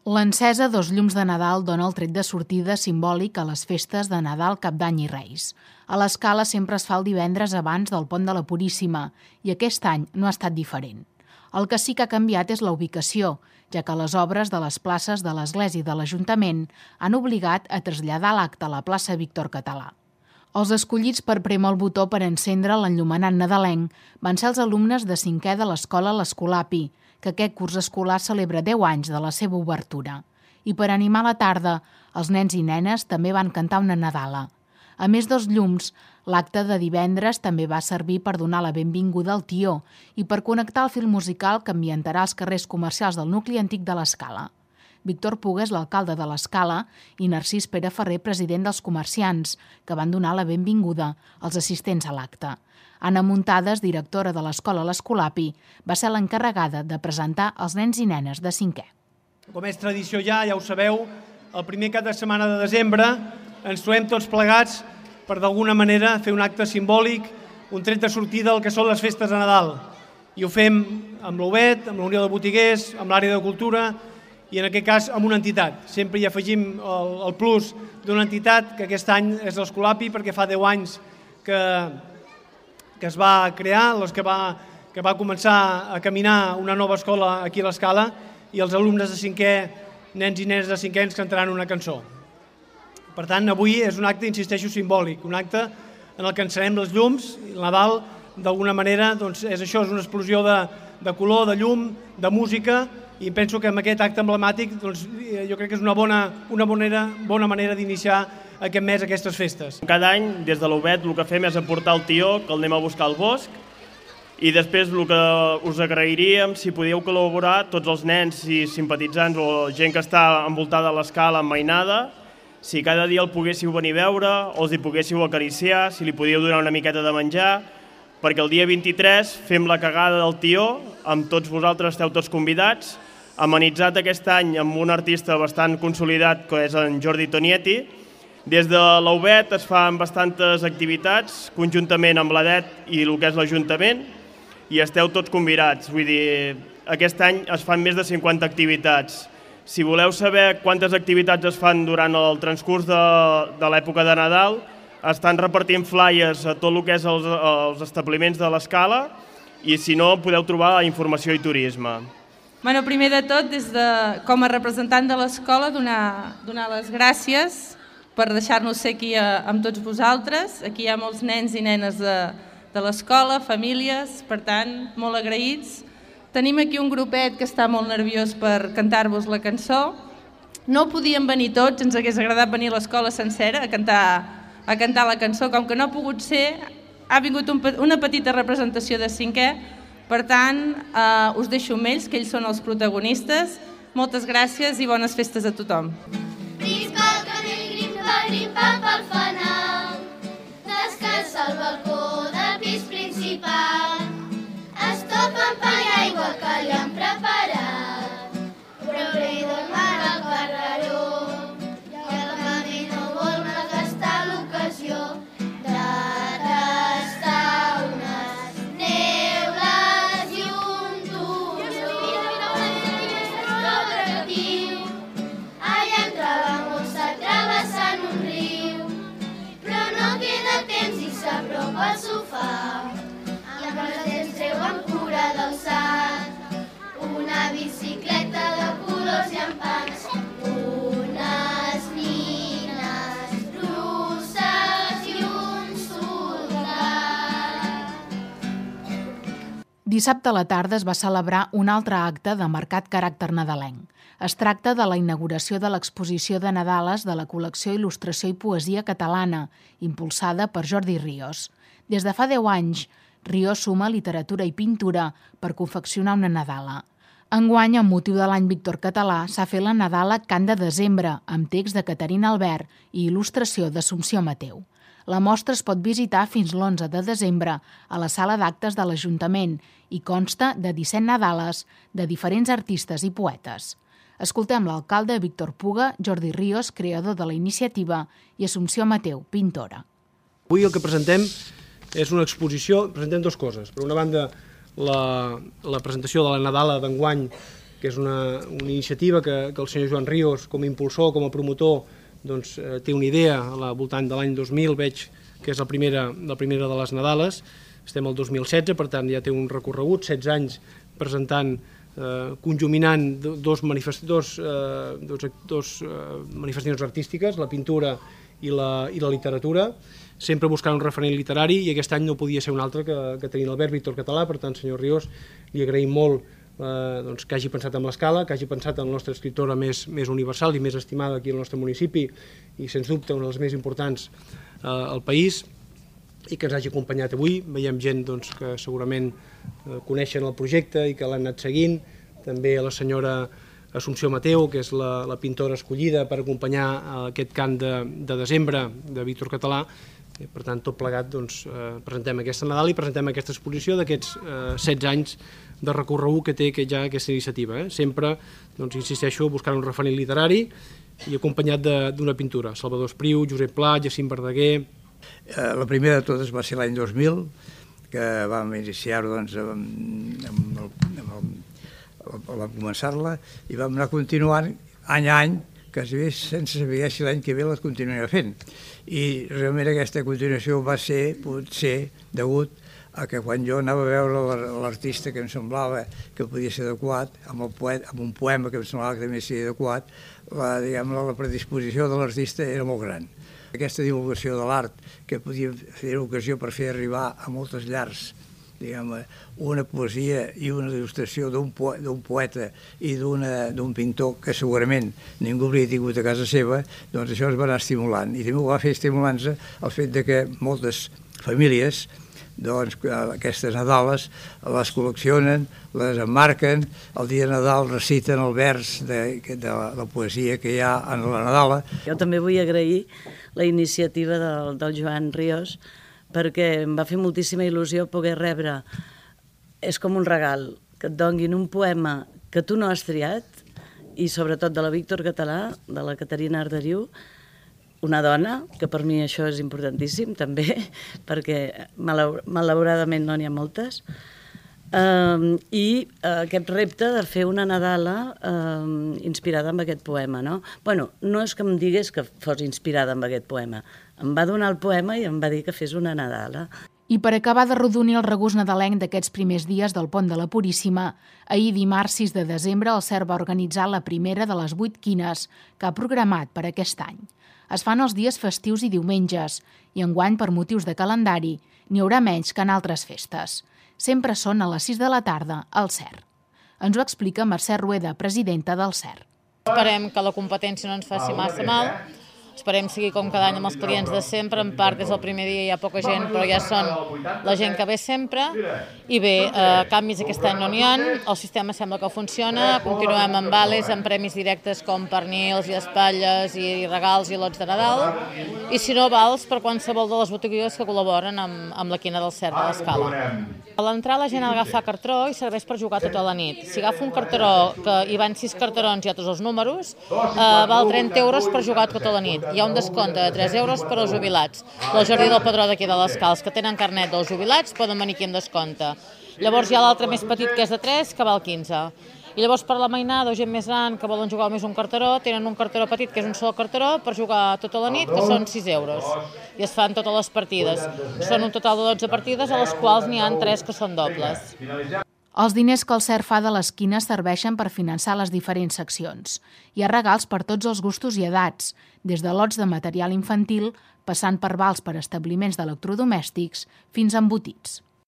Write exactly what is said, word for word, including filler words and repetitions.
L'encesa dos llums de Nadal dona el tret de sortida simbòlic a les festes de Nadal, Cap d'Any i Reis. A l'Escala sempre es fa el divendres abans del Pont de la Puríssima i aquest any no ha estat diferent. El que sí que ha canviat és la ubicació, ja que les obres de les places de l'Església i de l'Ajuntament han obligat a traslladar l'acte a la plaça Víctor Català. Els escollits per prémer el botó per encendre l'enllumenat nadalenc van ser els alumnes de cinquè de l'escola L'Escolapi, que aquest curs escolar celebra deu anys de la seva obertura. I per animar la tarda, els nens i nenes també van cantar una nadala. A més dels llums, l'acte de divendres també va servir per donar la benvinguda al tió i per connectar el fil musical que ambientarà els carrers comercials del nucli antic de l'Escala. Víctor Puga és l'alcalde de l'Escala i Narcís Pere Ferrer, president dels comerciants, que van donar la benvinguda als assistents a l'acte. Anna Muntades, directora de l'escola L'Escolapi, va ser l'encarregada de presentar els nens i nenes de cinquè. Com és tradició ja, ja ho sabeu, el primer cap de setmana de desembre ens trobem tots plegats per d'alguna manera fer un acte simbòlic, un tret de sortida al que són les festes de Nadal. I ho fem amb l'U B E T, amb la Unió de Botiguers, amb l'àrea de cultura i en aquest cas amb una entitat. Sempre hi afegim el, el plus d'una entitat que aquest any és l'Escolapi perquè fa deu anys que... que es va crear, que va, que va començar a caminar una nova escola aquí a l'Escala i els alumnes de cinquè, nens i nenes de cinquè, ens cantaran una cançó. Per tant, avui és un acte, insisteixo, simbòlic, un acte en el que encenem les llums, i el Nadal, d'alguna manera, doncs, és això, és una explosió de, de color, de llum, de música, i penso que amb aquest acte emblemàtic doncs, jo crec que és una bona, una bona, bona manera d'iniciar aquest mes aquestes festes. Cada any, des de l'U B E T, el que fem és aportar el tió, que el anem a buscar al bosc, i després el que us agrairíem, si podíeu col·laborar, tots els nens i simpatitzants o gent que està envoltada a l'Escala amb mainada, si cada dia el poguéssiu venir a veure, o els hi poguéssiu acariciar, si li podíeu donar una miqueta de menjar, perquè el dia vint-i-tres fem la cagada del tió, amb tots vosaltres esteu tots convidats, amenitzat aquest any amb un artista bastant consolidat, que és en Jordi Tonietti. Des de l'U B E T es fan bastantes activitats, conjuntament amb l'A D E T i el que és l'Ajuntament, i esteu tots convidats. Vull dir, aquest any es fan més de cinquanta activitats. Si voleu saber quantes activitats es fan durant el transcurs de, de l'època de Nadal, estan repartint flyers a tot el que és els, els establiments de l'Escala, i si no, podeu trobar a Informació i Turisme. Bueno, primer de tot, des de, com a representant de l'escola, donar, donar les gràcies per deixar-nos ser aquí amb tots vosaltres. Aquí hi ha molts nens i nenes de, de l'escola, famílies, per tant, molt agraïts. Tenim aquí un grupet que està molt nerviós per cantar-vos la cançó. No podíem venir tots, ens hagués agradat venir a l'escola sencera a cantar, a cantar la cançó, com que no ha pogut ser, ha vingut un, una petita representació de cinquè, per tant, eh, us deixo amb ells, que ells són els protagonistes. Moltes gràcies i bones festes a tothom. Grimpa pel fanal, descalça al balcó del pis principal, es topen pa i aigua que li han preparat, però li dormen al carreró, i el mami no vol malgastar l'ocasió de tastar unes neules i un torró atractiu. Allà entra la mossa travessant un riu, però no queda temps i s'apropa al sofà, i amb els dents treuen cura del sac, una bicicleta de colors llampants, unes nines russes i un soldat. Dissabte a la tarda es va celebrar un altre acte de marcat caràcter nadalenc. Es tracta de la inauguració de l'exposició de Nadales de la col·lecció Il·lustració i Poesia Catalana, impulsada per Jordi Ríos. Des de fa deu anys, Ríos suma literatura i pintura per confeccionar una Nadala. Enguany, amb motiu de l'any Víctor Català, s'ha fet la Nadala Cant de Desembre, amb text de Caterina Albert i il·lustració d'Assumpció Mateu. La mostra es pot visitar fins l'onze de desembre a la sala d'actes de l'Ajuntament i consta de disset Nadales de diferents artistes i poetes. Escoltem l'alcalde Víctor Puga, Jordi Ríos, creador de la iniciativa, i Assumpció Mateu, pintora. Avui el que presentem és una exposició, presentem dues coses. Per una banda, la, la presentació de la Nadala d'enguany, que és una, una iniciativa que, que el senyor Joan Ríos, com a impulsor, com a promotor, doncs, eh, té una idea al voltant de l'any dos mil, veig que és la primera, la primera de les Nadales, estem al dos mil setze, per tant ja té un recorregut, setze anys presentant, eh, conjuminant dos, manifest, dos, eh, dos, dos eh, manifestacions artístiques, la pintura i la, i la literatura, sempre buscant un referent literari, i aquest any no podia ser un altre que, que tenir l'Albert Víctor Català. Per tant, senyor Ríos, li agraïm molt Eh, doncs, que hagi pensat en l'escala, que hagi pensat en la nostra escriptora més, més universal i més estimada aquí al nostre municipi i, sens dubte, una de les més importants eh, al país, i que ens hagi acompanyat avui. Veiem gent doncs, que segurament eh, coneixen el projecte i que l'han anat seguint. També a la senyora Assumpció Mateu, que és la, la pintora escollida per acompanyar aquest cant de, de desembre de Víctor Català. I, per tant, tot plegat, doncs, eh, presentem aquesta Nadal i presentem aquesta exposició d'aquests eh, setze anys de recorregut que té que ja aquesta iniciativa. Eh? Sempre, doncs, insisteixo, buscant un referent literari i acompanyat d'una pintura. Salvador Espriu, Josep Pla, Jacint Verdaguer. Eh, la primera de totes va ser l'any dos mil, que vam iniciar-ho, doncs, amb, amb el, amb el, vam començar-la i vam anar continuant any a any, quasi sense saber si l'any que ve les continuarà fent. I realment aquesta continuació va ser, potser, degut a que quan jo anava a veure l'artista que em semblava que podia ser adequat, amb, el poet, amb un poema que em semblava que també seria adequat, la, diguem, la predisposició de l'artista era molt gran. Aquesta divulgació de l'art, que podia fer ocasió per fer arribar a moltes llars, diguem, una poesia i una il·lustració d'un poeta i d'un pintor que segurament ningú hauria tingut a casa seva, doncs això es va anar estimulant. I també ho va fer estimulant-se el fet de que moltes famílies, doncs, aquestes Nadales les col·leccionen, les emmarquen, el dia de Nadal reciten el vers de, de la poesia que hi ha en la Nadala. Jo també vull agrair la iniciativa del, del Joan Ríos, perquè em va fer moltíssima il·lusió poder rebre, és com un regal, que et donguin un poema que tu no has triat, i sobretot de la Víctor Català, de la Caterina Arderiu, una dona, que per mi això és importantíssim també, perquè malauradament no n'hi ha moltes, uh, i uh, aquest repte de fer una Nadala uh, inspirada en aquest poema. No? Bueno, no és que em digués que fos inspirada en aquest poema, em va donar el poema i em va dir que fes una Nadala. I per acabar de rodonir el regust nadalenc d'aquests primers dies del Pont de la Puríssima, ahir dimarts sis de desembre el C E R va organitzar la primera de les vuit quines que ha programat per aquest any. Es fan els dies festius i diumenges, i enguany, per motius de calendari, n'hi haurà menys que en altres festes. Sempre són a les sis de la tarda al C E R. Ens ho explica Mercè Rueda, presidenta del C E R. Esperem que la competència no ens faci massa mal. Esperem seguir com cada any amb els clients de sempre. En part, des del primer dia hi ha poca gent, però ja són la gent que ve sempre. I bé, eh, canvis aquest any no n'hi ha. El sistema sembla que funciona. Continuem amb vales, amb premis directes com pernils i espatlles i regals i lots de Nadal. I si no, vals per qualsevol de les botigues que col·laboren amb, amb la quina del C E R de l'Escala. A l'entrar la gent ha d'agafar cartró i serveix per jugar tota la nit. Si agafa un cartró que hi van sis cartrons i altres els números, eh, val trenta euros per jugar tota la nit. Hi ha un descompte de tres euros per als jubilats. Del Jardí del Padró d'aquí de l'Escala, els que tenen carnet dels jubilats poden venir aquí amb descompte. Llavors hi ha l'altre més petit, que és de tres, que val quinze. I llavors per la mainada o gent més gran que volen jugar més un carteró, tenen un carteró petit, que és un sol carteró, per jugar tota la nit, que són sis euros. I es fan totes les partides. Són un total de dotze partides, a les quals n'hi ha tres que són dobles. Els diners que el C E R fa de les quines serveixen per finançar les diferents seccions. Hi ha regals per tots els gustos i edats, des de lots de material infantil, passant per vals per establiments d'electrodomèstics, fins a embotits.